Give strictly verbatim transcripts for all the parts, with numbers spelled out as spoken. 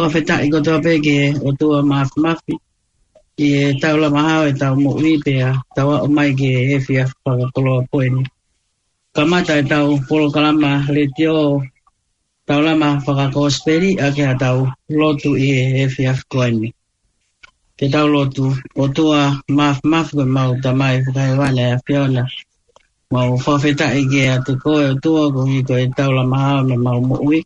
Fakafetaʻi kotoa pē ki he ʻOtua Māfimafi, ʻi he tau lama hao ʻetau moʻui pea tau aʻu mai ki he efiafi fakakoloa ko eni. Kamata ʻetau polokalama letiō, tau lama fakakosipeli ʻaki haʻatau lotu ʻi he efiafi ko eni. Ke tau lotu. ʻOtua Māfimafi, ko ʻemau Tamai fakahēvani ʻa e ʻAfiona, mau fakafetaʻi kiate koe ʻOtua koeʻuhi ko ʻetau lama hao ʻemau moʻui.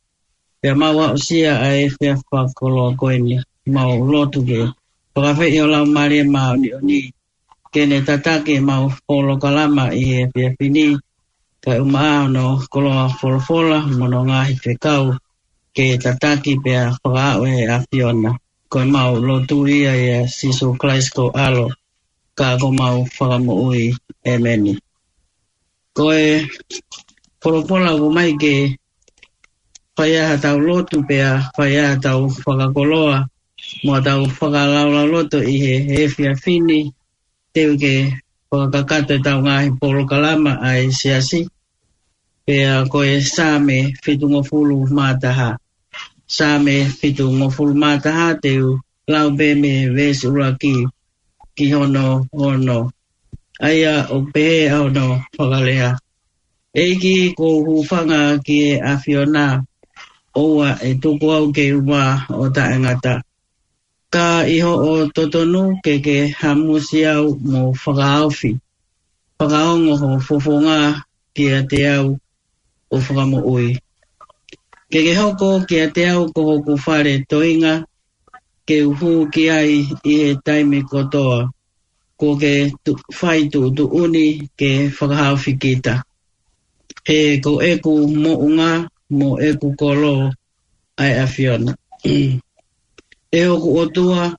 Pea mau aʻusia ʻa e efiafi fakakoloa ko eni. Mau lotu ke fakaafeʻi ho Laumālie Māʻoniʻoni ke ne tataki ʻemau polokalama ʻi he efiafi ni, kae ʻumaʻā hono koloa folofola mo hono ngaahi fekau ke tataki pea fakaaʻu ʻe he ʻAfiona. Ko ʻemau lotu ia ʻia Sīsū Kalaisi ko ho ʻAlo, ka ko homau Fakamoʻui. ʻĒmeni. Ko e folofola ʻoku ʻomai ke fai ai haʻatau lotu pea fai ai haʻatau fakakoloa mo haʻatau fakalaulauloto ʻi he efiafi ni, teu ke fakakakato ʻetau ngaahi polokalama ʻa e Siasi, pea ko e Saame fitungofulu mā taha. Saame fitungofulu mā taha, teu lau pē mei he veesi ʻuluaki ki hono ono. ʻA ia ʻoku pehē ʻa hono fakalea: ʻEiki, ʻoku ou hūfanga ki he ʻAfiona, ʻoua ʻe tuku au ke u mā ʻo taʻengata. Ka ʻi hoʻo totonu ke ke hamusi au mo fakahaofi. Fakaongo ho fofonga kiate au, ʻo Fakamoʻui. Ke ke hoko kiate au ko hoku fale toenga, ke u hū ki ai ʻi he taimi kotoa. Kuo ke tu-, fai tuʻutuʻuni ke fakahaofi kita. He ko ʻeku moʻunga mo ʻeku kolo ʻa e ʻAfiona. ʻE hoku ʻOtua,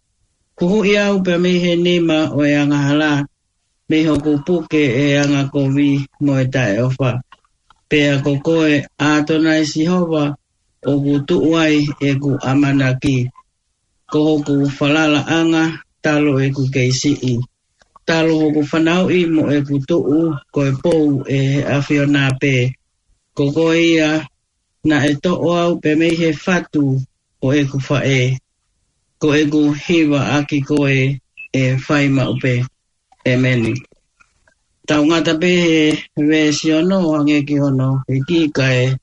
huhuʻi au pea mei he nima ʻo e angahala, mei hoku puke ʻe he angakovi mo e taʻeʻofa. Pea ko koe, ʻAtonai Sihova, ʻoku tuʻu ai ʻeku ʻamanaki. Ko hoku falalaʻanga talu ʻeku kei siʻi, talu hoku fanauʻi mo ʻeku tuʻu, ko e pou ʻe he ʻAfiona pē. Ko koe ia naʻe toʻo au pē mei he fatu ʻo ʻeku faʻē. Ko ʻeku hiva ʻaki koe ʻe fai maʻu pē. ʻĒmeni. Tau ngata pē he veesi ono hangē ki hono hiki, kae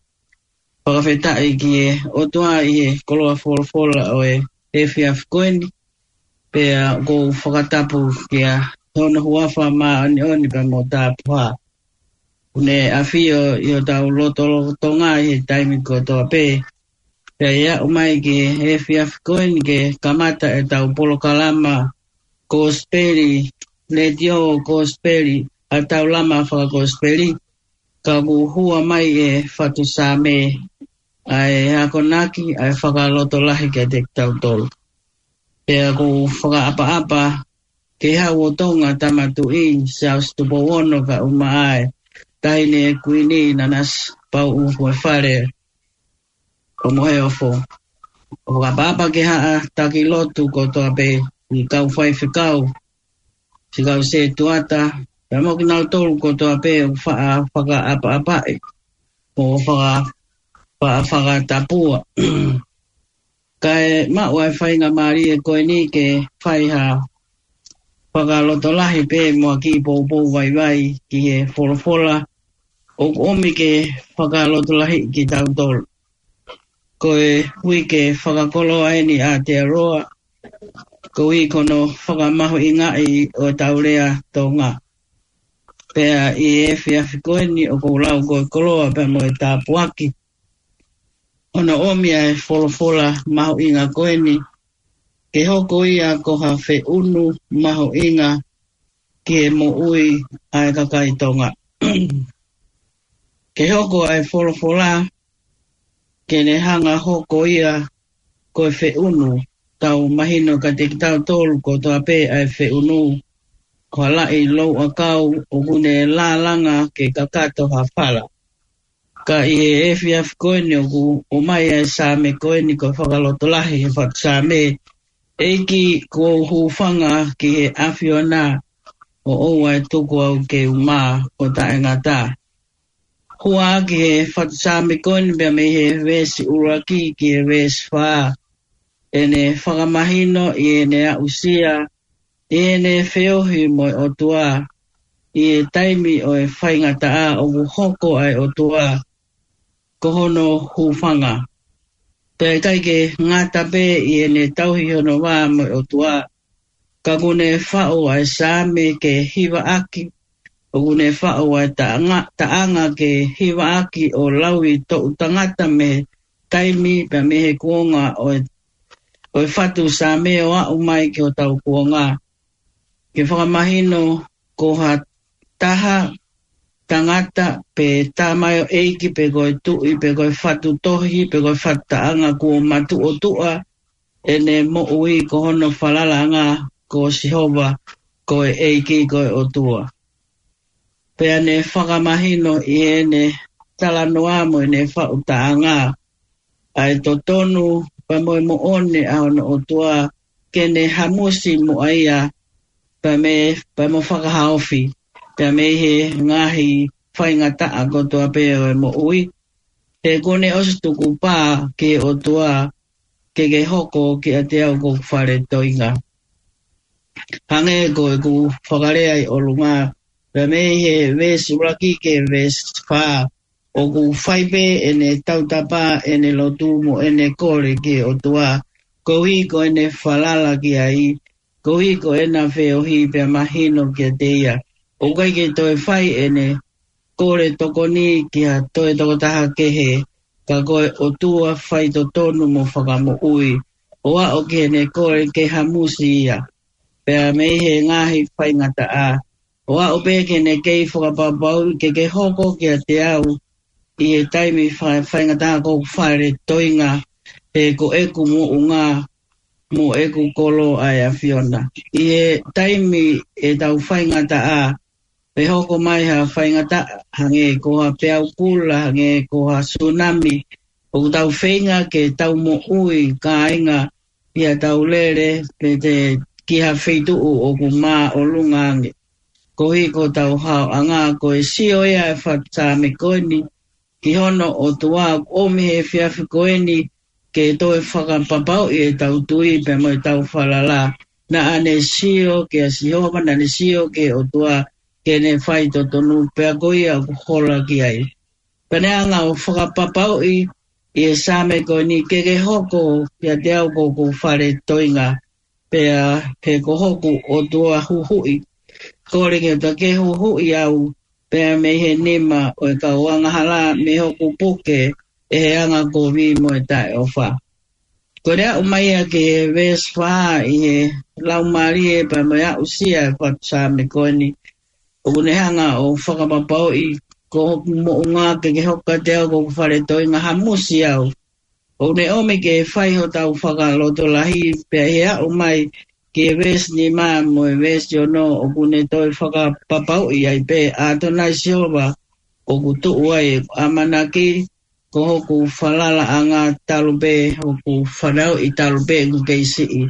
fakafetaʻi ki he ʻOtua ʻi he koloa folofola ʻo e efiafi ko eni, pea ʻoku ou fakatapu kia hono huafa māʻoniʻoni pea mo tapuhā. ʻOku ne ʻafio ʻi hotau lotolotonga ʻi he taimi kotoa pē. Pea ʻi he aʻu mai ki he efiafi ko eni ke kamata ʻetau polokalama kosipeli, letiō kosipeli, ʻa e tau lama fakakosipeli, ka ʻoku hua mai e fatu Saame ʻa e akonaki, ʻa e fakalotolahi kiate kitautolu. Pea ʻoku ou fakaʻapaʻapa ke haʻu ʻo Tonga Tama Tuʻi Siaosi Tupou Ono, kae ʻumaʻā e Taʻahine Kuini Nanasipauʻu Huʻafale ʻo Moheofo. ʻOku ou fakaʻapaʻapa ke haʻa taki lotu kotoa pē, ʻi he kau faifekau, siʻi kau setuata, pea mo kinautolu kotoa pē ʻoku faʻa fakaʻapaʻapaʻi mo faka-, faʻa fakatapua. Kae maʻu ʻa e faingamālie ko eni ke fai ha fakalotolahi pē mo ha kiʻi poupou vaivai ki he folofola ʻoku ʻomi ke fakalotolahi kitautolu. Ko e uike fakakoloa eni ʻa Aotearoa, koeʻuhi ko hono fakamahuʻingaʻi ʻo e tau lea Tonga. Pea ʻi he efiafi ko eni ʻoku ou lau ko e koloa pea mo e tāpuaki, ʻo hono ʻomi ʻa e folofola mahuʻinga ko eni, ke hoko ia ko ha feʻunu mahuʻinga ki he moʻui ʻa e kakai Tonga. Ke hoko ʻa e folofola, ke ne hanga hoko ia ko e feʻunu, tau mahino kiate kitautolu kotoa pē ʻa e feʻunu, ko ha laʻi louʻakau ʻoku ne lālanga ke kakato ha fala. Ka ʻi he efiafi ko eni ʻoku ʻomai ʻa e Saame ko eni ko e fakalotolahi he fatu Saame: ʻEiki, ʻoku ou hūfanga ki he ʻAfiona, ʻo ʻoua ʻe tuku au ke u mā ʻo taʻengata. Hua ʻaki he fatu Saame ko eni pea mei he veesi ʻuluaki ki he veesi fā, ʻene fakamahino ʻi heʻene aʻusia ʻi heʻene feohi mo e ʻOtua ʻi he taimi ʻo e faingataʻa ʻoku hoko ai ʻa e ʻOtua ko hono hūfanga. Pea ʻikai ke ngata pē ʻi heʻene tauhi hono vā mo e ʻOtua, ka ʻoku ne faʻu ʻa e Saame ke hivaʻaki, ʻoku ne faʻu ʻa e taʻanga, taʻanga ke hivaʻaki ʻo lauʻi toʻu tangata mei he taimi pea mei he kuonga ʻo e, ʻo e fatu Saame ʻo aʻu mai ki hotau kuonga. Ke fakamahino ko ha taha tangata pe tamaioʻeiki pe ko e tuʻi pe ko e fatu tohi pe ko e fatu taʻanga kuo matuʻotuʻa ʻene moʻui ko hono falalaʻanga ko Sihova ko e ʻEiki ko e ʻOtua. Pea ne fakamahino ʻi heʻene talanoa mo ʻene faʻu taʻanga ʻa e totonu pea mo e moʻoni ʻa hono ʻOtua ke ne hamusi muʻa ia pea mei, pea mo fakahaofi pea mei he ngaahi faingataʻa kotoa pē ʻo e moʻui. He kuo ne ʻosi tukupā ki he ʻOtua ke ke hoko kiate au ko hoku fale toenga. Hangē ko ʻeku fakalea ʻi ʻolunga, pea mei he veesi ʻuluaki ki he veesi fā, ʻoku fai pē ʻene tautapa, ʻene lotu mo ʻene kole ki he ʻOtua, koeʻuhi ko ʻene falala ki ai, koeʻuhi ko ʻena feohi pea mahino kiate ia. ʻOku ʻikai ke toe fai ʻene kole tokoni ki ha toe tokotaha kehe, ka ko e ʻOtua faitotonu mo fakamoʻui, ʻo aʻu ki heʻene kole ke hamusi ia pea mei he ngaahi faingataʻa, ʻo aʻu pē ke ne kei fakapapauʻi ke ke hoko kiate au ʻi he taimi fa-, faingataʻa ko hoku fale toenga, he ko ʻeku moʻunga mo ʻeku kolo ʻa e ʻAfiona. ʻI he taimi ʻetau faingataʻa, pe hoko mai ha faingataʻa, hangē ko ha peau kula, hangē ko ha sunami, ʻoku tau feinga ke tau moʻui kāinga ʻi haʻatau lele pe te ki ha feituʻu ʻoku māʻolunga ange. Koeʻuhi ko hotau haoʻanga, ko e sio ia ʻa e fatu Saame ko eni ki hono ʻOtua, ʻoku ʻomi he efiafi ko eni ke toe fakapapauʻi ʻetau tui pea mo ʻetau falala. Naʻa ne sio kia Sihova, naʻa ne sio ki he ʻOtua, ke ne faitotonu, pea ko ia ʻoku hola ki ai. Pea ne hanga ʻo fakapapauʻi ʻi he Saame ko eni, ke ke hoko kiate au ko hoku fale toenga, pea he ko hoku ʻOtua huhuʻi. Kole ke ta ke huhuʻi au pea mei he nima ʻo e kau angahala, mei hoku puke ʻe he angakovi mo e taʻeʻofa. Ko e aʻu mai ia ki he veesi fā ʻi he laumālie pea mo e aʻusia ʻa e fatu Saame ko eni, ʻoku ne hanga ʻo fakapapauʻi ko hoku moʻunga ke ke hoko kiate au ko hoku fale toenga, hamusi au. ʻOku ne ʻomi ke fai hotau fakalotolahi, pea ʻi he aʻu mai ki he veesi nima mo e veesi ono, ʻoku ne toe fakapapauʻi ai pē, ʻAtonai Sihova ʻoku tuʻu ai ʻeku ʻamanaki, ko hoku falalaʻanga talu pē, hoku fanauʻi talu pē ʻeku kei siʻi.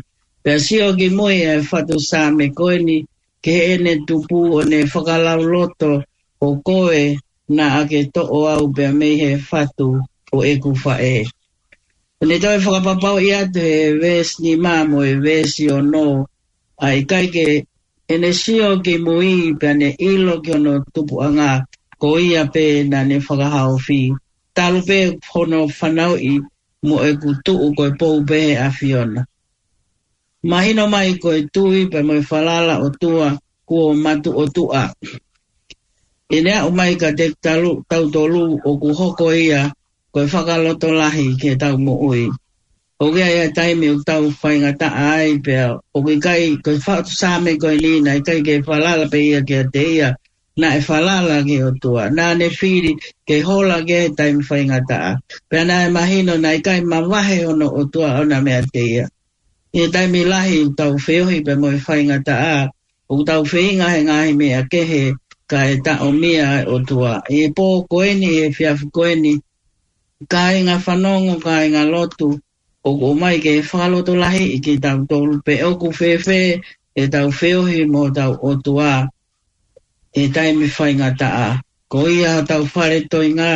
Pea sio ki mui ʻa e fatu Saame ko eni ki heʻene tupu, ʻo ne fakalauloto, ko koe naʻa ke toʻo au pea mei he fatu ʻo ʻeku faʻē. ʻO ne toe fakapapauʻi atu he veesi nima mo e veesi ono, ʻa e ʻikai ke ʻene sio ki mui pea ne ʻilo ki hono tupuʻanga, ko ia pē naʻa ne fakahaofi, talu pē hono fanauʻi mo ʻeku tuʻu ko e pou pē he ʻAfiona. Mahino mai ko e tui pea mo e falala ʻOtua kuo matuʻotuʻa. ʻI heʻene aʻu mai kiate talu-, tautolu, ʻoku hoko ia ko e fakalotolahi ki heʻetau moʻui. ʻOku ʻi ai e taimi ʻoku tau faingataʻa ai pea ʻoku ʻikai, ko e fatu Saame ko eni naʻe ʻikai ke falala pē ia kiate ia, naʻe falala ki he ʻOtua. Naʻa ne fili ke hola ki he taimi faingataʻa. Pea naʻe mahino naʻe ʻikai mavahe hono ʻOtua ʻo na meiate ia. ʻI he taimi lahi ʻoku tau feohi pea mo e faingataʻa, ʻoku tau feinga he ngaahi meʻa kehe, kae taʻomia ʻa e ʻOtua. ʻI he pō ko eni, ʻi he efiafi ko eni, kāinga fanongo, kāinga lotu, ʻoku ʻomai ke fakalotolahiʻi kitautolu pe ʻoku fēfē ʻetau feohi mo hotau ʻOtua ʻi he taimi faingataʻa. Ko ia hotau fale toenga,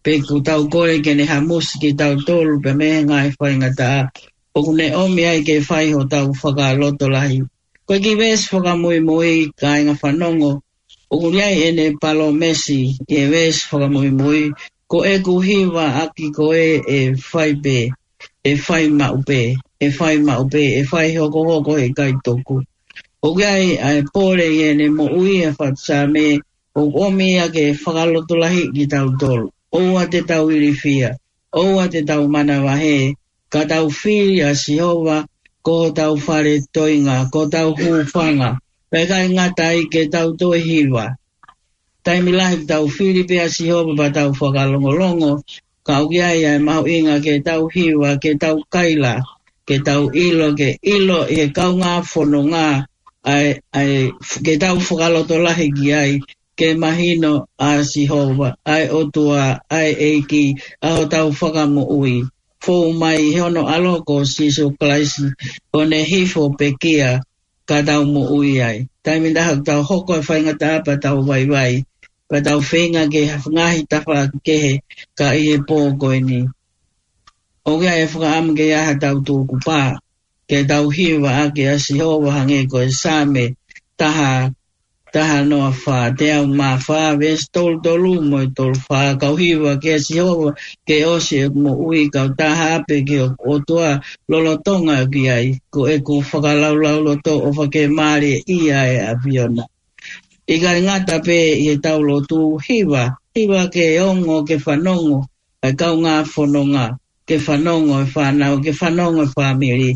pe ʻoku tau kole ke ne hamusi kitautolu pea mei he ngaahi faingataʻa. ʻoku ne ʻomi ai ke fai hotau fakalotolahi. Ko e kiʻi veesi fakamuimui, kāinga fanongo, ʻoku ʻi ai ʻene palōmesi ʻi he veesi fakamuimui, ko ʻeku hiva ʻaki koe ʻe fai pē, ʻe fai maʻu pē, ʻe fai maʻu pē, ʻe fai hokohoko, heʻikai tuku. ʻOku ʻi ai ʻa e pole ʻi heʻene moʻui ʻa e fatu Saame, ʻoku ʻomi ia ke fakalotolahiʻi kitautolu. ʻOua te tau ilifia, ʻoua te tau manavahē, ka tau fili ʻa Sihova ko hotau fale toenga, ko hotau hūfanga. Pea ʻikai ngata ai, ke tau toe hiva. Taimi lahi tau fili pē ʻa Sihova pea tau fakalongolongo, ka ʻoku ʻi ai ʻa e mahuʻinga ke tau hiva, ke tau kaila, ke tau ʻilo, ke ʻilo ʻi he kaungā fononga, ʻa e, ʻa e, ke tau fakalotolahi ki ai, ke mahino ʻa Sihova, ʻa e ʻOtua, ʻa e ʻEiki, ʻa hotau Fakamoʻui. Fou mai ʻi hono ʻAlo ko Sīsū Kalaisi, ʻo ne hifo pekia ka tau moʻui ai. Taimi ʻe taha ʻoku tau hoko ʻa e faingataʻa pea tau vaivai, pea tau feinga ke ha ngaahi tafaʻaki kehe, ka ʻi he pō ko eni, ʻoku ʻi ai e fakaʻamu ke ʻi ai haʻatau tukupā, ke tau hiva ʻaki ʻa Sihova hangē ko e Saame taha, taha noa fā, teau mā fā, veesi tolu tolu mo e tolu fā, kau hiva kia Sihova ke ʻosi ʻeku moʻui, kau tā haʻape ki hoku ʻOtua lolotonga ʻeku ʻi ai, ko ʻeku fakalaulauloto ʻofa ke mālie ʻi he ʻAfiona. ʻIkai ngata pē ʻi heʻetau lotu, hiva, hiva ke ongo, ke fanongo ʻa e kaungā fononga, ke fanongo e fānau, ke fanongo e fāmili.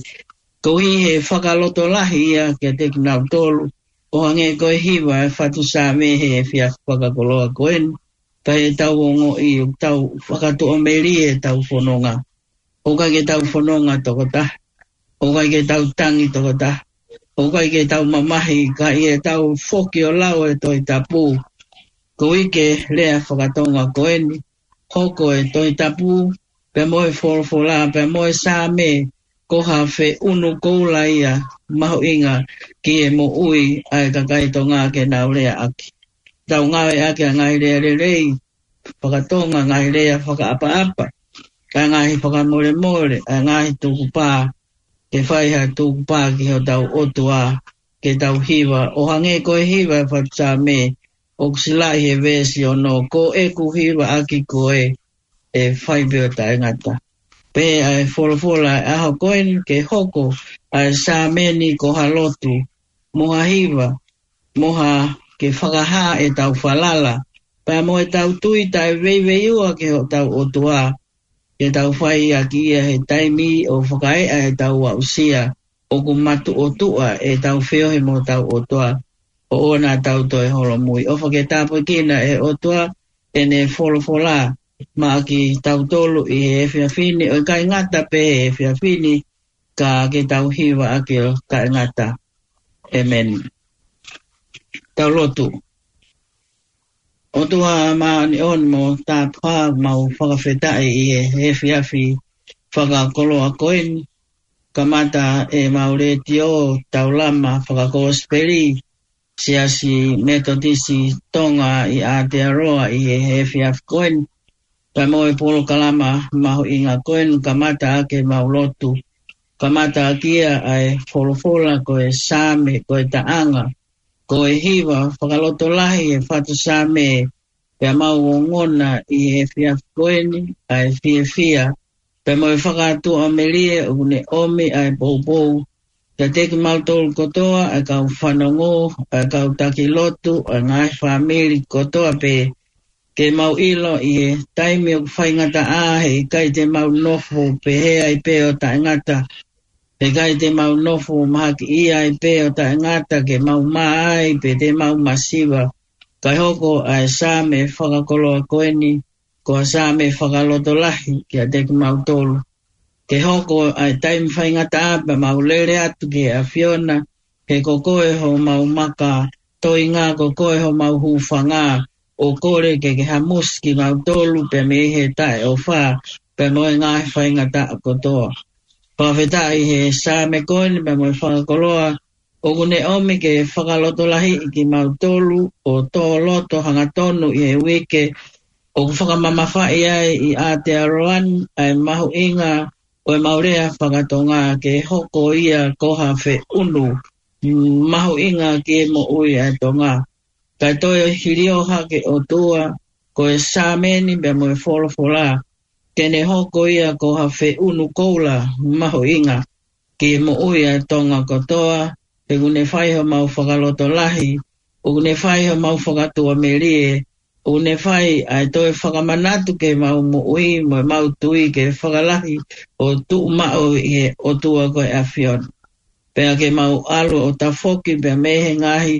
Koeʻuhi he fakalotolahi ia kiate kinautolu, ʻo hangē ko e hiva ʻa e fatu Saame he efiafi fakakoloa ko eni, ka ʻi heʻetau ongoʻi ʻoku tau fakatuʻamelie ʻetau fononga. ʻOku ʻikai ke tau fononga tokotaha, ʻoku ʻikai ke tau tangi tokotaha, ʻoku ʻikai ke tau mamahi, ka ʻi heʻetau foki ʻo lau e Tohi Tapu. Koeʻuhi ko e lea faka-Tonga ko eni, hoko e Tohi Tapu, pea mo e folofola, pea mo e Saame, ko ha feʻunu koula ia mahuʻinga ki he moʻui ʻa e kakai Tonga ke nau lea ʻaki. Tau ngāueʻaki ʻa e ngaahi lea lelei faka-Tonga, ngaahi lea fakaʻapaʻapa, ʻa e ngaahi fakamolemole, ʻa e ngaahi tukupā, ke fai ha tukupā ki hotau ʻOtua, ke tau hiva, ʻo hangē ko e hiva ʻa e fatu Saame, ʻoku silaʻi he veesi ono, ko ʻeku hiva ʻaki koe ʻe fai pē ʻo taʻengata. Pea ʻa e folofola ʻa e ʻaho ko eni ke hoko ʻa e Saame ni ko ha lotu, mo ha hiva, mo ha ke fakahā ʻetau falala, pea mo ʻetau tui taʻeveiveiua ki hotau ʻOtua, ke tau fai ʻaki ia he taimi ʻoku fakaeʻa ʻetau aʻusia, ʻoku matuʻotuʻa ʻetau feohi mo hotau ʻOtua, ʻo ʻoua naʻa tau toe holomui. ʻOfa ke tāpuekina ʻe he ʻOtua ʻene folofola maʻa kitautolu ʻi he efiafi ni, ʻo ʻikai ngata pē he efiafi ni, ka ke tau hiva ʻaki ʻo taʻengata. ʻEmeni. Tau lotu. ʻOtua māʻoniʻoni mo tāpuhā, mau fakafetaʻi ʻi he efiafi fakakoloa ko eni, kamata ʻemau letiō taulama fakakosipeli, Siasi Metotisi Tonga ʻi Aotearoa ʻi he efiafi ko eni. Pea mo e polokalama mahuʻinga ko eni, kamata ʻaki ʻemau lotu. Kamata ʻaki ia ʻa e folofola ko e Saame, ko e taʻanga, ko e hiva fakalotolahi ʻa e fatu Saame, pea mau ongona ʻi he efiafi ko eni ʻa e fiefia, pea mo e fakatuʻamelie ʻoku ne ʻomi ʻa e poupou kiate kimautolu kotoa, ʻa e kau fanongo, ʻa e kau taki lotu, ʻa e ngaahi fāmili kotoa pē, ke mau ʻilo ʻi he taimi ʻoku faingataʻa, heʻikai te mau nofo pehē ai pē ʻo taʻengata, heʻikai te mau nofo mahakiʻia ai pē ʻo taʻengata, ke mau mā ai pe te mau masiva. Kae hoko ʻa e Saame fakakoloa ko eni ko ha Saame fakalotolahi kiate kimautolu. Ke hoko ʻa e taimi faingataʻa pea mau lele atu ki he ʻAfiona, he ko koe homau maka toenga, ko koe homau hūfanga, ʻo kole ke ke hamusi kimautolu pea mei he taʻeʻofa, pea mo e ngaahi faingataʻa kotoa. Fakafetaʻi he Saame ko eni pea mo e fakakoloa, ʻoku ne ʻomi ke fakalotolahiʻi kimautolu ʻo tō loto hangatonu ʻi he uike ʻoku fakamamafaʻi ai ʻi Aotearoa ni ʻa e mahuʻinga ko ʻemau lea fakatonga ke hoko ia ko ha feʻunu mahuʻinga ki he moʻui ʻa e Tonga. Kae toe hilio hake ʻOtua, ko e Sāmeni pea mo e Folofola, ke ne hoko ia ko ha feʻunu koula mahuʻinga ki he moʻui ʻa e Tonga kotoa, he ʻoku ne fai homau fakalotolahi, ʻoku ne fai homau fakatuʻamelie, ʻoku ne fai ʻa e toe fakamanatu ke mau moʻui mo mau tui ke fakalahi ʻo tuʻu maʻu ʻi he ʻOtua ko e ʻAfiona. Pea ke mau ʻalu ʻo tafoki pea mei he ngaahi,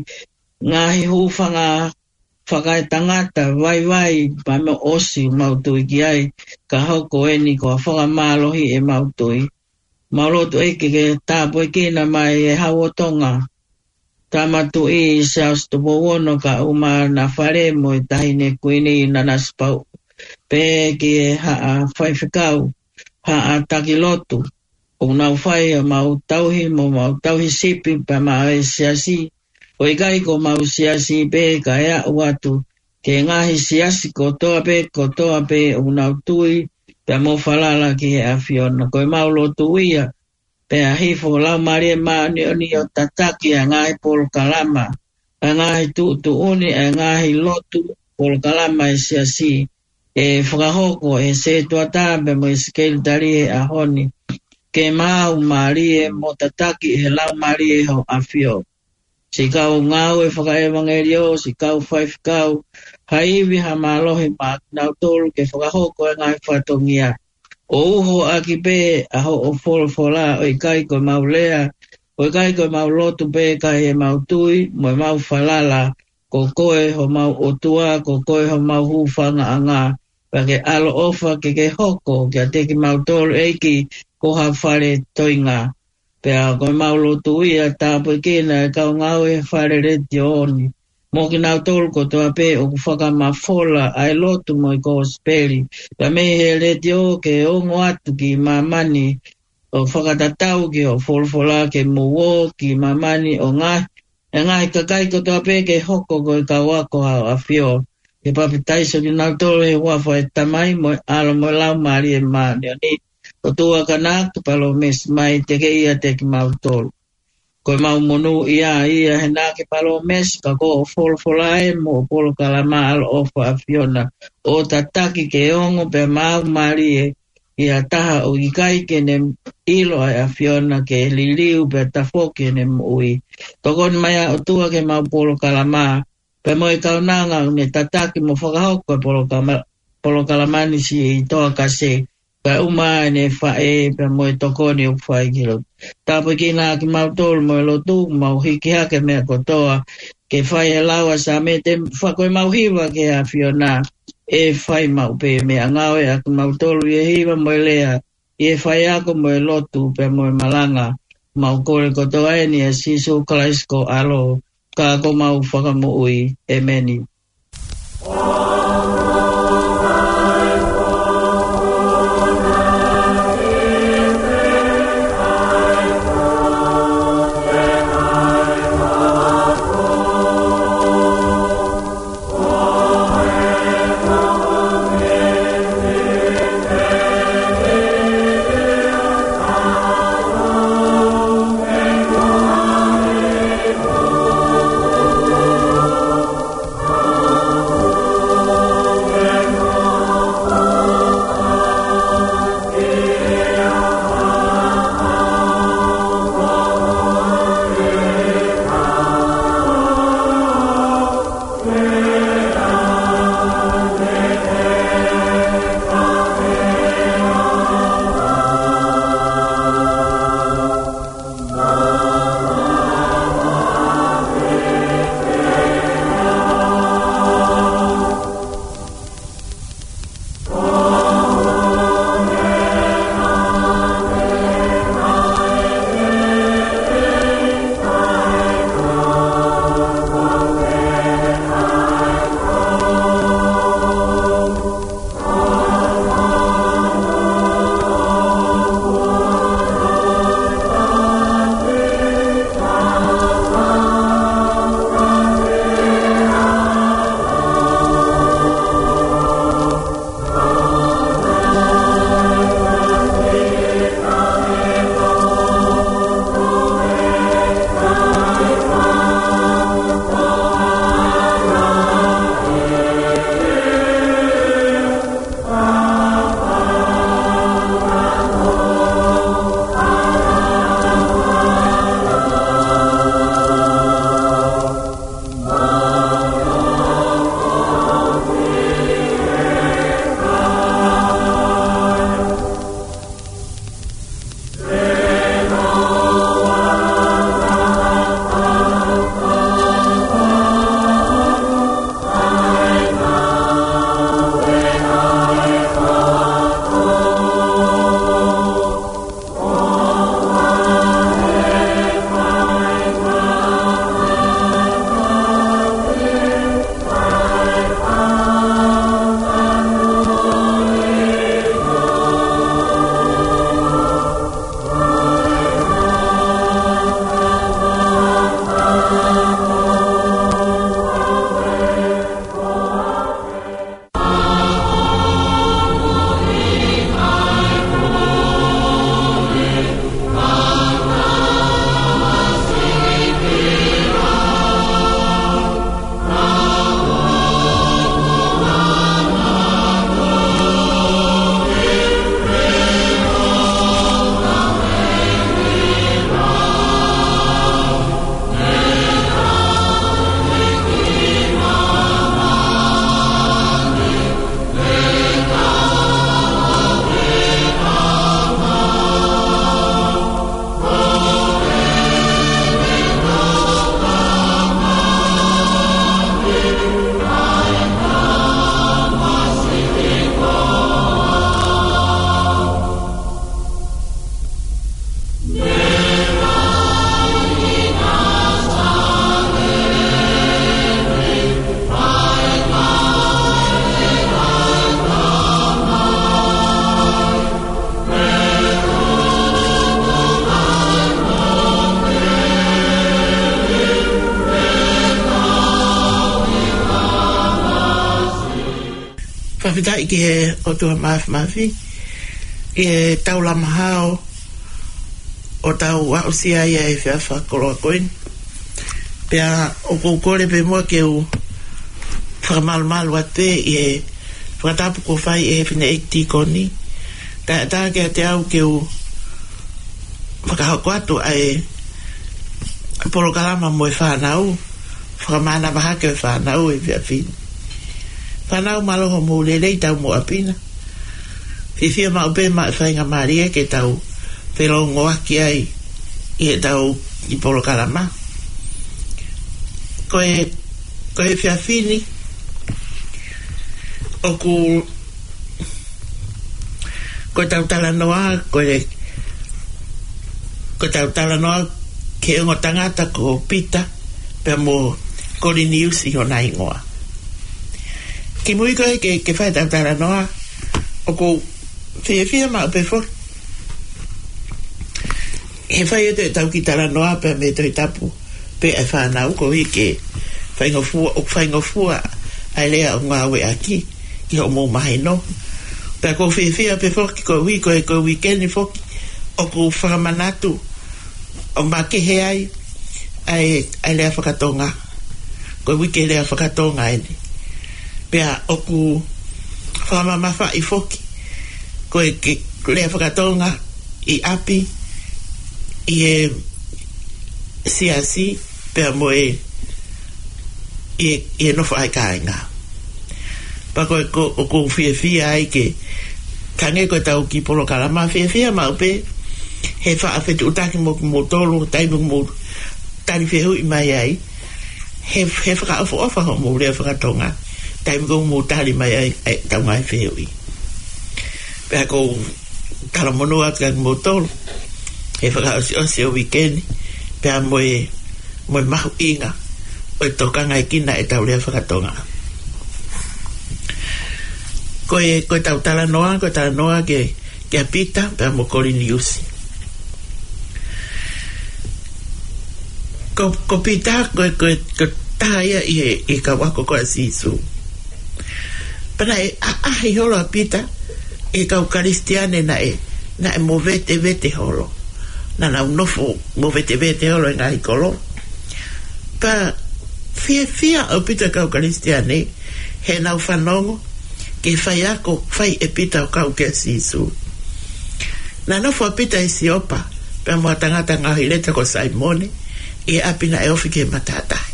ngaahi hūfanga fakaetangata vaivai pea mo ʻosi mau tui ki ai, ka hoko eni ko ha fakamālohi ʻemau tui. Mau lotu ʻEiki ke tāpuekina mai e Hau ʻo Tonga, Tama Tuʻi Siaosi Tupou Ono kae ʻumaʻā ʻena fale mo e Taʻahine Kuini Nanasipauʻu, pea ki he haʻa faifekau, haʻa taki lotu, ʻoku nau fai ʻemau tauhi mo ʻemau tauhi sipi pea maʻa e siasi, ʻo ʻikai ko homau siasi pē ka e aʻu atu ki he ngaahi siasi kotoa pē, kotoa pē ʻoku nau tui pea mo falala ki he ʻAfiona. Ko ʻemau lotu ia, pea hifo ho Laumālie Māʻoniʻoni ʻo tataki ʻa e ngaahi polokalama, ʻa e ngaahi tuʻutuʻuni, ʻa e ngaahi lotu, polokalama ʻa e siasi, ʻe fakahoko ʻe he setuata pea mo e sekelitali he ʻaho ni, ke maʻu mālie mo tataki ʻe he Laumālie ho ʻAfio. Siʻi kau ngāue fakaʻevangeliō, siʻi kau faifekau, ha ivi, ha mālohi maʻa kinautolu ke fakahoko e ngaahi fatongia, ʻo uho ʻaki pē ʻa hoʻo folofola, ʻo ʻikai ko ʻemau lea, ʻo ʻikai ko ʻemau lotu pē ka ʻi heʻemau tui mo ʻemau falala, ko koe homau ʻOtua, ko koe homau hūfangaʻanga, pea ke ʻaloʻofa ke ke hoko kiate kimautolu ʻEiki ko ha fale toenga. Pea ko ʻemau lotu ia, tāpuekina e kau ngāue he fale letiō ni, mo kinautolu kotoa pē ʻoku fakamafola ʻa e lotu mo e kosipeli pea mei he letiō ke ongo atu ki māmani, ʻo fakatatau ki hoʻo folofola, ke mou ō ki māmani ʻo ngaahi, e ngaahi kakai kotoa pē ke hoko ko e kau ako ʻa ho ʻAfio, ke papitaiso kinautolu he huafa ʻo e Tamai mo e ʻAlo mo e Laumālie Māʻoniʻoni. ʻOtua, ka naʻa ke palōmesi mai, teʻeki ai te kimautolu. Ko ʻemau monūʻia ia he naʻa ke palōmesi, ka ko hoʻo folofola ē mo hoʻo polokalama, ʻaloʻofa ʻAfiona, ʻo tataki ke ongo pea maʻu mālie ʻi ha taha ʻoku ʻikai ke ne ʻilo ʻa e ʻAfiona, ke liliu pea tafoki ʻene moʻui. Tokoni mai ʻa ʻOtua ki heʻemau polokalama, pea mo e kaunanga ʻoku ne tataki mo fakahoko e polokalama, polokalama ni, siʻi Toa Kase, kae ʻumaʻā ʻene faʻē pea mo e tokoni ʻoku fai ki he lotu. Tāpuekina kimautolu mo e lotu, mau hiki hake meʻa kotoa ke fai he lau ʻa e Saame, te fai ko ʻemau hiva ki he ʻAfiona, ʻe fai maʻu pē meʻangāue ʻa kimautolu ʻi he hiva mo e lea, ʻi he faiako mo e lotu pea mo e malanga. Mau kole kotoa eni ʻia Sīsū Kalaisi ko ho ʻAlo, ka ko homau Fakamoʻui. ʻEmeni. Fakafetaʻi ki he ʻOtua Māfimafi, ʻi he taulama hao ʻo tau aʻusia ai ʻa e efiafi fakakoloa ko eni. Pea ʻoku ou kole pē muʻa ke u fakamalumalu atu pē ʻi he fakatapu kuo fai ʻe he fineʻeiki tīkoni. Kae ʻatā kiate au ke u fakahoko atu ʻa e polokalama mo e fānau, fakamānava hake ʻo e fānau he efiafi ni. Fānau, mālō hoʻomou lelei, taumuʻa pina. Fiefia maʻu pē maʻa e faingamālie ke tau felōngoaki ai ʻi heʻetau kiʻi polokalama. Ko e, ko e efiafi ni, ʻoku, ko ʻetau talanoa, ko e, ko ʻetau talanoa ki he ongo tangata ko Pita, pea mo Koliniusi hono hingoa. Kimui ko ē ke, ke fai ʻetau talanoa, ʻoku ou fiefia maʻu pē foki he fai atu ʻetau kiʻi talanoa pea mei he Tohi Tapu pē ʻa e fānau, koeʻuhi ke faingofua, ʻoku faingofua ʻa e lea ʻoku ngāueʻaki ki hoʻomou mahino. Pea ʻoku ou fiefia pē foki koeʻuhi ko e, ko e uike ni foki ʻoku fakamanatu ʻo makehe ai ʻa e, ʻa e lea fakatonga. Ko e uike lea fakatonga eni. Pea ʻoku fakamamafaʻi foki ko e kiʻi lea fakatonga ʻi ʻapi, ʻi he siasi, pea mo e, ʻi he, ʻi he nofo ʻa e kāinga. Pea ko e, ko, ʻoku ou fiefia ai ke, hangē ko ʻetau kiʻi polokalama, fiefia maʻu pē he faʻa fetuʻutaki mo kimoutolu, taimi ʻoku mou tali fehuʻi mai ai, he, he fakaʻofoʻofa hoʻomou lea fakatonga, taimi ʻoku mou tali mai ai ʻetau ngaahi fehuʻi. Pea ʻoku ou talamonū atu kiate kimoutolu he fakaʻosiʻosi ʻo e uike ni, pea mo e, mo e mahuʻinga ʻo e tokangaʻi ʻetau lea fakatonga. Ko e, ko ʻetau talanoa, ko e talanoa ki, kia Pita pea mo Koliniusi. Ko, ko Pita, ko, ko, ko e taha ia ʻi he, ʻi he kau ako ko ē ʻa Sīsū. Pea naʻe ʻaʻahi holo ʻa Pita ʻi he kau Kalisitiane naʻe, naʻe movetevete holo. Naʻa nau nofo movetevete holo he ngaahi kolo. Pea fiefia ʻaupito e kau Kalisitiane heʻenau fanongo ki he faiako fai ʻe Pita ʻo kau kia Sīsū. Naʻe nofo ʻa Pita ʻi Siopa pea mo ha tangata ngaohi leta ko Saimone, ʻi he ʻapi naʻe ofi ki he matātahi.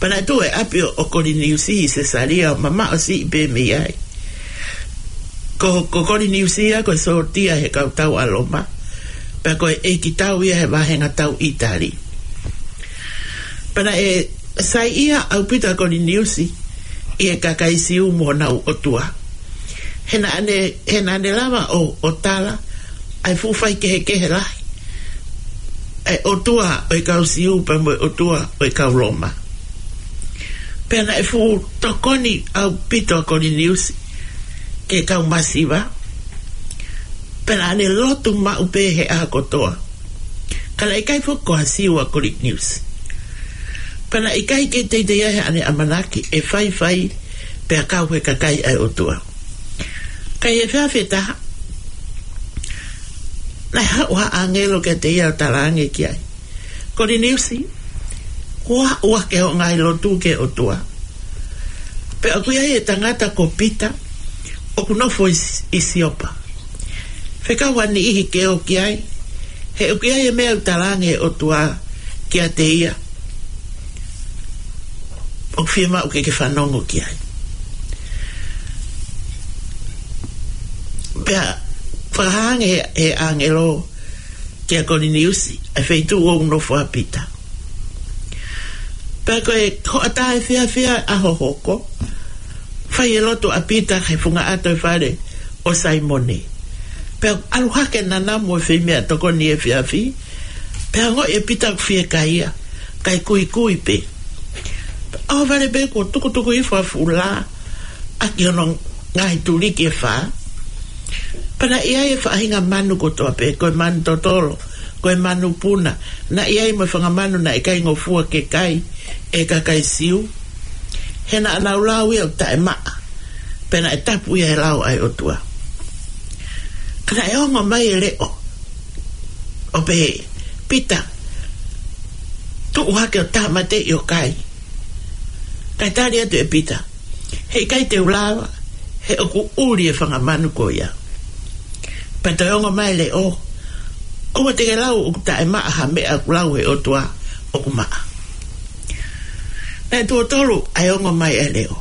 Pea naʻe tuʻu e ʻapi ʻo, ʻo Koliniusi ʻi Sesalia, ʻo mamaʻo siʻi pē mei ai. Ko, ko Koliniusi ia ko e sōtia he kau tau ʻa Loma, pea ko e ʻeikitau ia he vāhenga tau ʻĪtali. Pea naʻe saiʻia ʻaupito ʻa Koliniusi ʻi he kakai Siu mo honau ʻotua. He naʻa ne, he naʻa ne lava ʻo, ʻo tala ʻa e fuʻu faikehekehe lahi ʻa e ʻotua ʻo e kau Siu pea mo e ʻotua ʻo e kau Loma. Pea naʻe fuʻu tokoni ʻaupito ʻa Koliniusi ki he kau masiva. Pea naʻa ne lotu maʻu pē he ʻaho kotoa. Ka naʻe ʻikai foki ko ha Siu ʻa Koliniusi. Pea naʻe ʻikai ke teitei ai haʻane ʻamanaki ʻe faifai pea kau he kakai ʻa e ʻOtua. Ka ʻi he efiafi ʻe taha, naʻe haʻu ha ʻāngelo kiate ia ʻo talaange ki ai, Koliniusi, ʻoua, ʻoua ke hoʻo ngaahi lotu ki he ʻOtua. Pea ʻoku ʻi ai e tangata ko Pita, ʻoku nofo ʻi, ʻi Siopa. Fekau ha niʻihi ke ō ki ai, he ʻoku ʻi ai e meʻa ʻoku talaange ʻe he ʻOtua kiate ia, ʻoku fiemaʻu ke ke fanongo ki ai. Pea fakahā ange he, he ʻāngelo kia Koliniusi ʻa e feituʻu ʻoku nofo ai ʻa Pita. Pea ko e hoʻatā efiafi ʻo e ʻaho hoko, fai e lotu ʻa Pita he funga ʻato ʻo e fale ʻo Saimone. Pea ʻalu hake e nanamu ʻo e feimeʻatokoni efiafi, pea ongoʻi ʻe Pita ʻoku fiekaia, kae kuikui pē. ʻAho vale pē kuo tukutuku hifo ʻa e fuʻu lā ʻaki hono ngaahi tuliki ʻe fā. Pea naʻe ʻi ai e faʻahinga manu kotoa pē, ko e manu totolo, ko e manu puna, naʻe ʻi ai mo e fanga manu naʻe ʻikai ngofua ke kai ʻe he kakai Siu. He naʻa nau lau ia ʻoku taʻemaʻa. Pea naʻe tapu ia he lao ʻa e ʻOtua. Ka naʻe ongo mai e leʻo ʻo pehē, Pita, tuʻu hake ʻo tāmateʻi ʻo kai. Kae tali atu ʻe Pita, Heʻikai te u lava, he ʻoku ʻuli e fanga manu ko ia. Pea toe ongo mai e leʻo, ʻOua te ke lau ʻoku taʻemaʻa ha meʻa ʻoku lau ʻe he ʻOtua ʻoku maʻa. Naʻe tuʻo tolu ʻa e ongo mai ʻa e leʻo.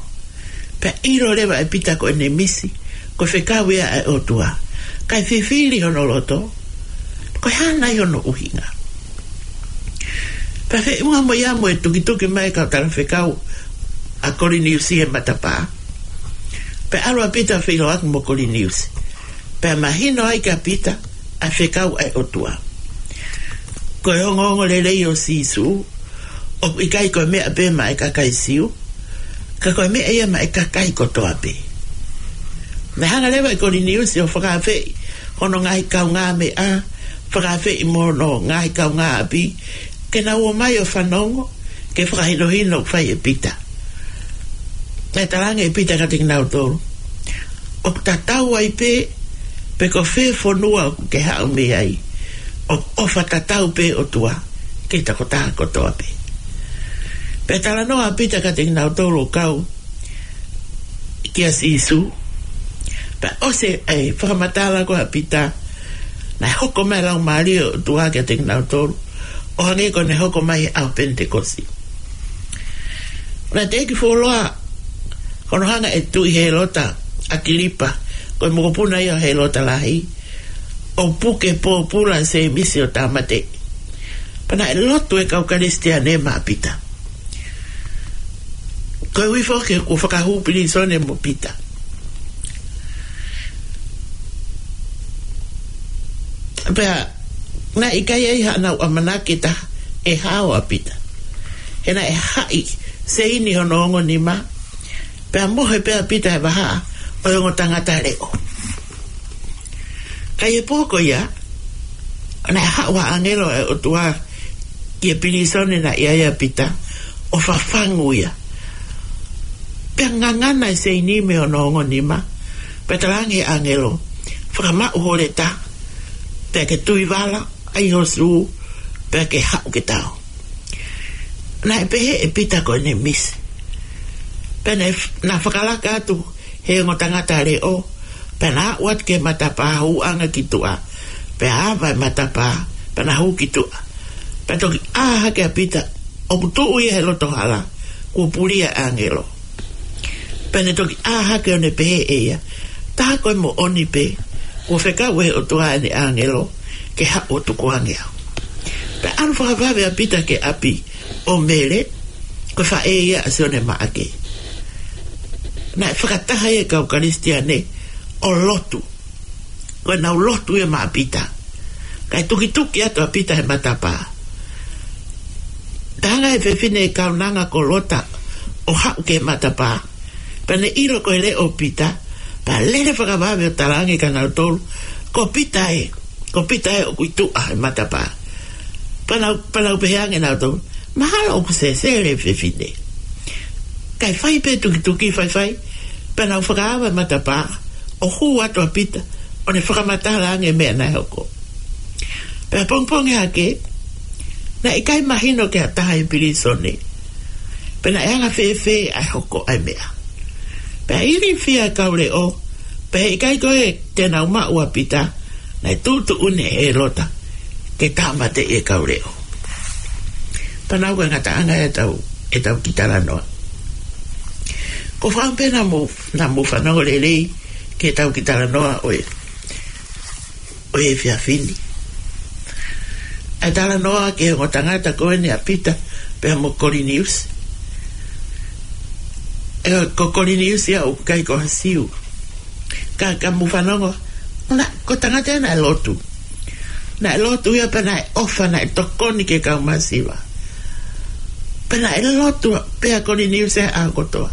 Pea ʻilo leva ʻe Pita ko ʻene misi, ko e fekau ia ʻa e ʻOtua. Kae fifili hono loto, ko e hā nai hono ʻuhinga. Pea feʻunga mo ia mo e tukituki mai e kau talafekau ʻa Koliniusi he matapā. Pea ʻalu ʻa Pita ʻo feʻiloaki mo Koliniusi. Pea mahino ai kia Pita ʻa e fekau ʻa e ʻOtua. Ko e ongoongo lelei ʻo Sīsū, ʻoku ʻikai ko e meʻa pē maʻa e kakai Siu, ka ko e meʻa ia maʻa e kakai kotoa pē. Naʻe hanga leva ʻe Koliniusi ʻo fakaafeʻi hono ngaahi kaungāmeʻa, fakaafeʻi mo hono ngaahi kaungāʻapi, ke nau ō mai ʻo fanongo ki he fakahinohino ʻoku fai ʻe Pita. Naʻe talaange ʻe Pita kiate kinautolu, ʻOku tatau ai pē pe ko fē fonua ʻoku ke haʻu mei ai, ʻoku ʻofa tatau pē ʻOtua ki he tokotaha kotoa pē. Pea talanoa ʻa Pita kiate kinautolu ʻo kau kia Sīsū. Pea ʻosi e fakamatala ko ē ʻa Pita, naʻe hoko mai e Laumālie ʻo e ʻOtua kiate kinautolu, ʻo hangē ko ʻene hoko mai he ʻaho Penitekosi. Naʻe teʻeki fuoloa hono hanga ʻe Tuʻi Hēlota ʻAkilipa, ko e mokopuna ia ʻo Hēlota Lahi, ʻo puke pōpula ʻa Sēmisi ʻo tāmateʻi. Pea naʻe lotu e kau Kalisitiane maʻa Pita. Koeʻuhi foki kuo fakahū pilīsone mo Pita. Pea naʻe ʻikai ai haʻanau ʻamanaki ʻe taha ʻe hao ʻa Pita. He naʻe haʻi seini hono ongo nima. Pea mohe pē ʻa Pita he vahaʻa ʻo e ongo tangata leʻo. Ka ʻi he pō ko ia, naʻe haʻu ha ʻāngelo ʻa e ʻOtua ki he pilīsone naʻe ʻi ai ʻa Pita, ʻo fafangu ia. Pea ngangana e seini mei hono ongo nima, pea talaange ʻe he ʻāngelo, Fakamaʻu ho leta, pea ke tui vala, ʻai ho sū, pea ke haʻu ke tau. Naʻe pehē ʻe Pita ko ʻene misi. Pea naʻe f-, naʻe fakalaka atu he ongo tangata leʻo, pea na aʻu atu ki he matapā hūʻanga ki tuʻa, pea ava e matapā, pea na hū ki tuʻa. Pea toki ʻā hake ʻa Pita, ʻoku tuʻu ia he loto hala, kuo puli ʻa e ʻāngelo. Pea ne toki ʻā hake ʻo ne pehē ʻe ia, Tā ko e moʻoni pē, kuo fekau ʻe he ʻOtua ʻene ʻāngelo, ke haʻu ʻo tukuange au. Pea ʻalu fakavave ʻa Pita ki he ʻapi ʻo Mele, ko e faʻē ia ʻa Sione Maʻake. Naʻe fakataha ia e kau Kalisitiane ʻo lotu. Ko ʻenau lotu ia maʻa Pita. Kae tukituki atu ʻa Pita he matapā. Talaange ʻe he fefine ʻe kaunanga ko Lota ʻo haʻu ki he matapā. Pea ne ʻilo ko e leʻo ʻo Pita. Pea lele fakavave ʻo talaange kia nautolu, Ko Pita ē, ko Pita ē ʻoku ʻi tuʻa he matapā. Pea nau, pea nau pehē ange nautolu, Mahalo ʻoku sesele e fefine. Kae fai pē tukituki faifai, pea nau fakaava e matapā, ʻo hū atu ʻa Pita, ʻo ne fakamatala ange e meʻa naʻe hoko. Pea pongipongi hake, naʻe ʻikai mahino ki ha taha ʻi he pilīsone, pe naʻe anga fēfē ʻa e hoko ʻa e meʻa. Pea ilifia e kau leʻo, pea heʻikai ko ē te nau maʻu ʻa Pita, naʻe tuʻutuʻuni ʻe Lota ke tāmateʻi e kau leʻo. Pea nau ko e ngataʻanga ʻetau, ʻetau kiʻi talanoa. Ko e fakaʻamu pē naʻa mou, naʻa mou fanongo lelei ki heʻetau kiʻi talanoa ʻo e, ʻo e efiafi ni. ʻA e talanoa ki he ongo tangata ko eni ʻa Pita pea mo Koliniusi. ʻE, ko Koliniusi ia ʻoku ʻikai ko ha Siu. Ka, ka mou fanongo, naʻe, ko e tangata ia naʻe lotu. Naʻe lotu ia pea naʻe ʻofa, naʻe tokoni ki he kau masiva. Pea naʻe lotu pē ʻa Koliniusi he ʻaho kotoa.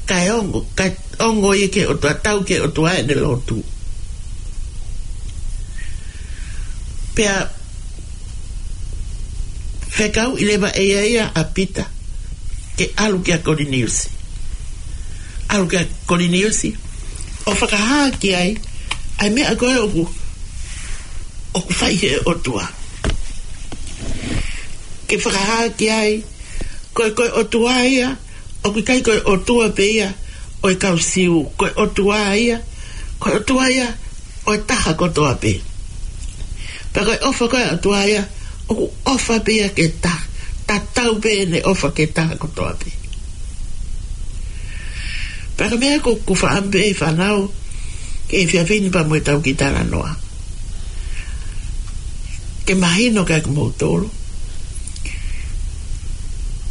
Kae ongo, kae ongo ia ki he ʻOtua, tau ki he ʻOtua ʻene lotu. Pea fekauʻi leva ʻe ia ia ʻa Pita ke ʻalu kia Koliniusi. ʻalu kia Koliniusi, ʻo fakahā ki ai ʻa e meʻa ko ē ʻoku, ʻoku fai he ʻOtua. Ke fakahā ki ai, ko e, ko e ʻOtua ia, ʻoku ʻikai ko e ʻOtua pē ia ʻo e kau Siu, ko e ʻOtua ia, ko e ʻOtua ia ʻo e taha kotoa pē. Pea ko e ʻofa ko ē ʻa e ʻOtua ia, ʻoku ʻofa pē ia ki he taha, tatau pē ʻene ʻofa ki he taha kotoa pē. Pea ko e meʻa ʻoku, ʻoku ou fakaʻamu pē ʻe fānau, ke fia fini pea mo ʻetau kiʻi talanoa. Ke mahino kiate kimoutolu,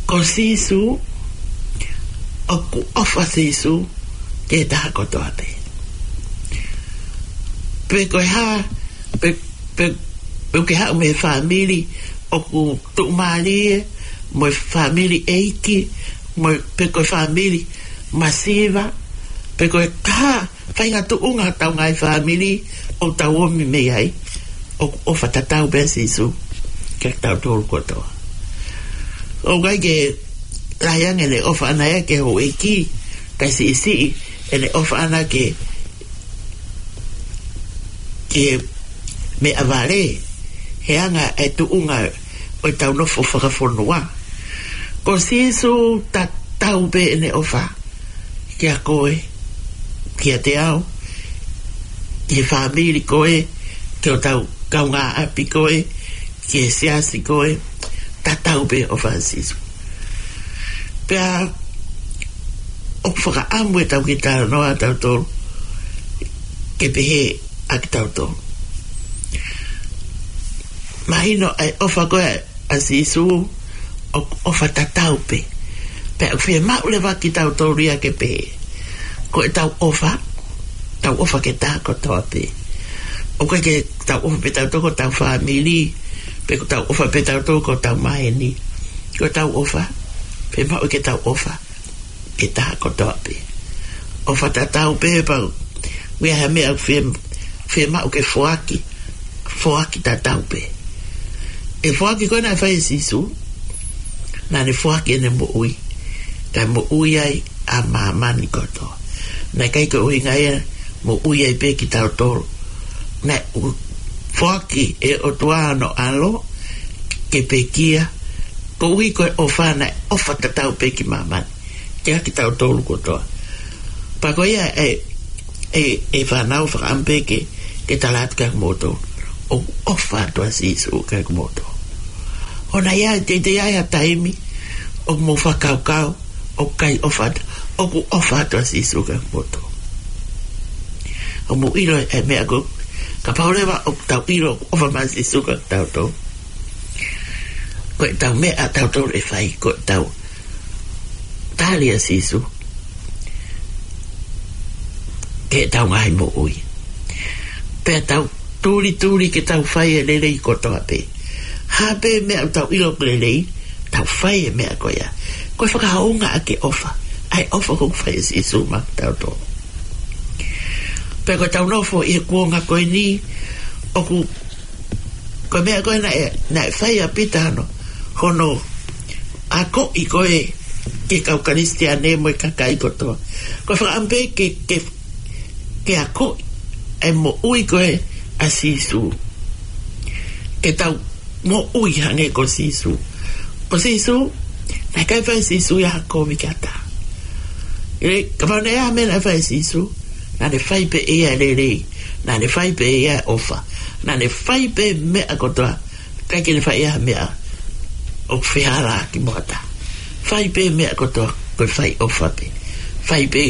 ko Sīsū, ʻoku ʻofa Sīsū ki he taha kotoa pē. Pe ko e hā, pe, pe, pe ʻoku ke haʻu mei he fāmili ʻoku tuʻumālie, mo e fāmili ʻeiki, mo e, pe ko e fāmili masiva, pe ko e hā faʻahinga tuʻunga ʻetau ngaahi fāmili ʻoku tau ʻomi mei ai, ʻoku ʻofa tatau pē ʻa Sīsū kiate kitautolu kotoa. ʻOku ʻikai ke lahi ange ʻene ʻofa ʻana ia ki he houʻeiki, kae siʻisiʻi ʻene ʻofa ʻana ki he, ki he meʻavale, he anga e tuʻunga ʻo ʻetau nofo fakafonua. Ko Sīsū tatau pē ʻene ʻofa kiate koe, kiate au, ki he fāmili ko ē, ki hotau kaungāʻapi ko ē, ki he siasi ko ē, tatau pē ʻofa ʻa Sīsū. Pea ʻoku fakaʻamu ʻetau kiʻi talanoa ʻatautolu ke pehē ʻa kitautolu. Mahino ʻa e ʻofa ko ē ʻa Sīsū ʻoku ʻofa tatau pē. Pea ʻoku fiemaʻu leva kiate kitautolu ia ke pehē. Ko ʻetau ʻofa, tau ʻofa ki he taha kotoa pē. ʻOku ʻikai ke tau ʻofa pē tautolu ki hotau fāmili, pe ko ʻetau ʻofa pē tautolu ki hotau maheni. Ko ʻetau ʻofa, fiemaʻu ke tau ʻofa ki he taha kotoa pē. ʻOfa tatau pē pea ʻoku ʻi ai ha meʻa ʻoku fie, fiemaʻu ke foaki, foaki tatau pē. ʻE foaki ko ē naʻe fai ʻe Sīsū, naʻa ne foaki ʻene moʻui, kae moʻui ai ʻa māmani kotoa. Naʻe ʻikai ko e ʻuhinga ia moʻui ai pē kitautolu. Naʻe foaki ʻe he ʻOtua hono ʻAlo ke pekia, koeʻuhi ko e ʻofa, naʻe ʻofa tatau pē ki māmani, kiate kitautolu kotoa. Pea ko ia ʻe, ʻe, ʻe fānau, fakaʻamu pē ke, ke tala atu kiate kimoutolu, ʻoku ʻofa atu ʻa Sīsū kiate kimoutolu. ʻOua naʻa teitei ʻi ai ha taimi ʻoku mou fakakaukau ʻoku ʻikai ʻofa atu, ʻoku ʻofa atu ʻa Sīsū kiate kimoutolu. ʻOku mou ʻilo e meʻa ko ē, kapau leva ʻoku tau ʻilo ʻoku ʻofa mai ʻa Sīsū kiate kitautolu, ko ʻetau meʻa ʻatautolu ʻe fai, ko ʻetau tali ʻa Sīsū ki heʻetau ngaahi moʻui. Pea tau tulituli ke tau fai e lelei kotoa pē. Hā pē meʻa ʻoku tau ʻilo ʻoku lelei, tau fai e meʻa ko ia. Ko e fakahounga ʻa e ʻofa, ʻa e ʻofa ʻoku fai ʻe Sīsū maʻa kitautolu. Pea ko ʻetau nofo ʻi he kuonga ko eni, ʻoku, ko e meʻa ko ē naʻe, naʻe fai ʻa Pita hono, hono akoʻi ko ē ki he kau Kalisitiane mo e kakai kotoa. Ko e fakaʻamu pē ke, ke, ke akoʻi e moʻui ko ē ʻa Sīsū. Ke tau moʻui hangē ko Sīsū. Ko Sīsū, naʻe ʻikai fai ʻe Sīsū ia ha kovi ki ha taha. ʻE, kapau naʻe ʻi ai ha meʻa naʻe fai ʻe Sīsū, naʻa ne fai pē ʻe ia e lelei, naʻa ne fai pē ʻe ia e ʻofa, naʻa ne fai pē meʻa kotoa, ʻikai ke ne fai ʻe ia ha meʻa ʻoku fehālaaki mo ha taha. Fai pē meʻa kotoa, ko e fai ʻofa pē. Fai pē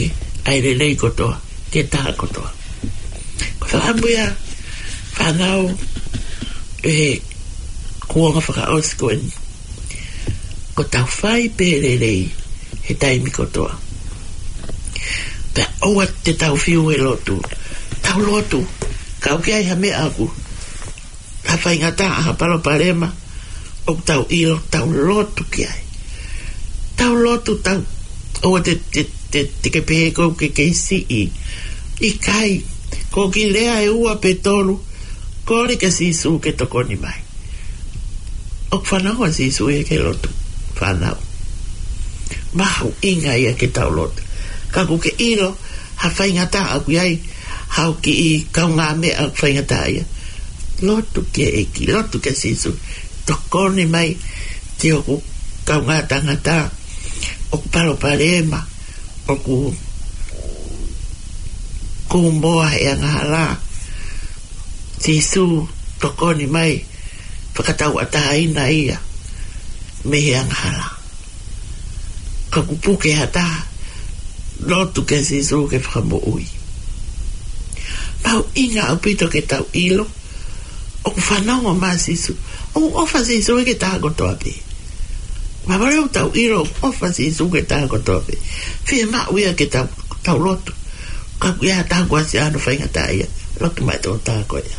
ʻa e lelei kotoa ki he taha kotoa. Ko e fakaʻamu ia, fānau, ʻi he kuonga fakaʻosi ko eni, ko ʻetau fai pē lelei he taimi kotoa. Pea ʻoua te tau fiu he lotu. Tau lotu. Kapau ʻoku ʻi ai ha meʻa ʻoku, ha faingataʻa, ha palopalema ʻoku tau ʻilo, tau lotu ki ai. Tau lotu, tau, ʻoua te, te, te, te ke pehē ʻoku ke kei siʻi. ʻIkai, ko e kiʻi lea ʻe ua pe tolu, kole kia Sīsū ke tokoni mai. ʻOku fanongo ʻa Sīsū ia ki he lotu, fānau. Mahuʻinga ia ke tau lotu. Ka ʻoku ke ʻilo ha faingataʻa ʻoku ʻi ai haʻo kiʻi kaungāmeʻa ʻoku faingataʻaʻia. Lotu ki he ʻEiki, lotu kia Sīsū. Tokoni mai ki hoku kaungā tangata ʻoku palopalema, ʻoku kūmoa he angahala. Sīsū, tokoni mai, fakatauʻatāina ia mei he angahala. Ka ʻoku puke ha taha, lotu kia Sīsū ke fakamoʻui. Mahuʻinga ʻaupito ke tau ʻilo ʻoku fanongo mai Sīsū. ʻOku ʻofa Sīsū ia ki he taha kotoa pē. Mahalo ʻoku tau ʻilo ʻoku ʻofa Sīsū ki he taha kotoa pē. Fiemaʻu ia ke tau, tau lotu. Ka ʻoku ʻi ai ha taha kuo ʻasi ʻi hono faingataʻaʻia, lotu mai tokotaha ko ia.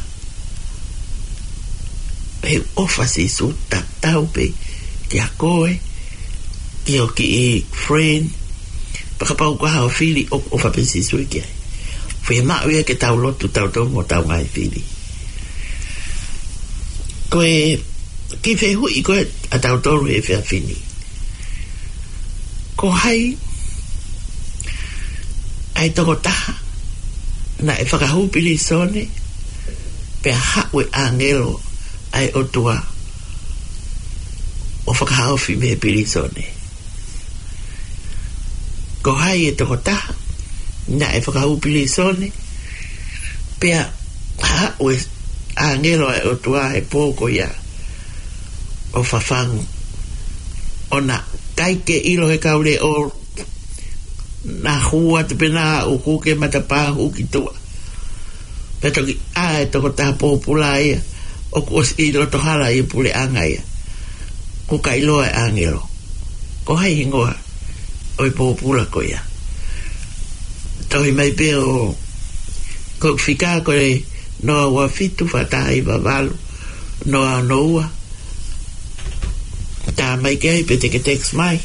He ʻofa Sīsū tatau pē kia koe, ki ho kiʻi friend, pea kapau ko haʻo fili, ʻoku ʻofa pē Sīsū ki ai. Fiemaʻu ia ke tau lotu tautolu mo hotau ngaahi fili. Ko e kiʻi fehuʻi ko ē ʻa tautolu he efiafi ni. Ko hai ʻa e tokotaha naʻe fakahū pilīsone pea haʻu e ʻāngelo ʻa e ʻOtua ʻo fakahaofi mei he pilīsone? Ko hai e tokotaha naʻe fakahū pilīsone pea haʻu e ʻāngelo ʻa e ʻOtua he pō ko ia ʻo fafangu? ʻOku ʻikai ke ʻilo he kau leʻo, naʻe hū atu pē naʻe ʻuku ke matapā hū ki tuʻa. Pea toki ʻā e tokotaha pōpula ia, ʻoku ʻosi ʻi loto hala ʻi he puleʻanga ia. ʻOku ʻikai ʻiloa e ʻāngelo. Ko hai hingoa ʻo e pōpula ko ia? Tohi mai pē ʻo, ko e fika ko e noa ua fitu, fā taha hiva valu, noa ono ua. Tā mai ki ai pe te ke text mai.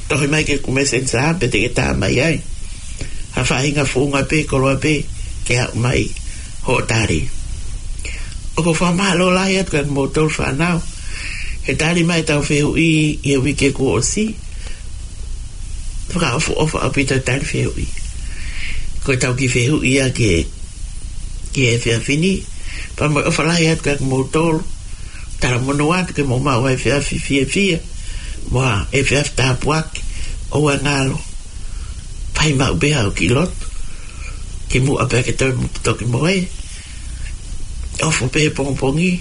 Tohi mai ki heʻeku Messenger pe te ke tā mai ai. Ha faʻahinga founga pē, koloa pē, ke haʻu mai hoʻo tali. ʻOku ou fakamālō lahi atu kia kimoutolu fānau he tali mai ʻetau fehuʻi ʻi he uike kuo ʻosi. Fakaʻofoʻofa ʻaupito e tali fehuʻi. Ko ʻetau kiʻi fehuʻi ia ki he, ki he efiafi ni. Pea mo e ʻofa lahi atu kia kimoutolu. Talamonū atu ke mou maʻu ha efiafi fiefia mo ha efiafi tāpuaki. ʻOua ngalo. Fai maʻu pē haʻo kiʻi lotu kimuʻa pea ke toe mo toki mohe. ʻOfa pē he pongipongi,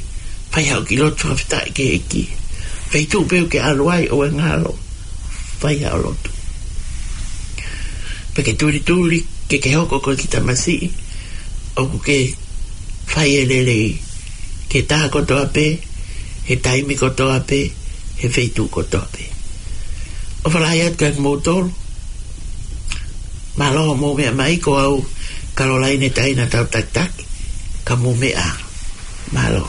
fai haʻo kiʻi lotu fakafetaʻi ki he ʻEiki. Feituʻu pē ʻoku ke ʻalu ai, ʻoua ngalo. Fai haʻo lotu. Pea ke tulituli, ke ke hoko ko e kiʻi tamasiʻi ʻoku ke fai e lelei ki he taha kotoa pē, he taimi kotoa pē, he feituʻu kotoa pē. ʻOfa lahi atu kia kimoutolu. Mālō hoʻomou meʻa mai, ko au Kalolaine Taina Tautakitaki, ka mou meʻa ā. Mālō.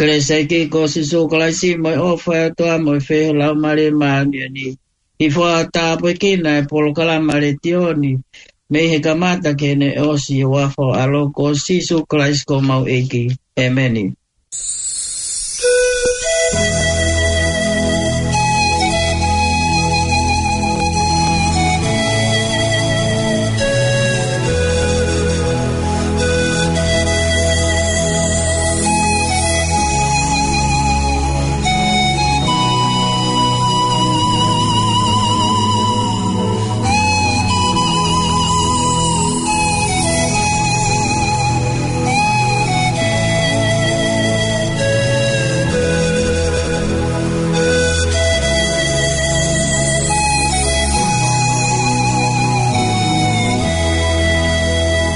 Kelesi ʻa e ʻEiki ko Sīsū Kalaisi mo e ʻofa ʻa e ʻOtua mo e feohi ʻa e Laumālie Māʻoniʻoni, ʻi he fua tāpuekina e polokalama letiō ni, mei he kamata ki heʻene ʻosi ʻi he huafa ho ʻAlo ko Sīsū Kalaisi ko homau ʻEiki. ʻEmeni.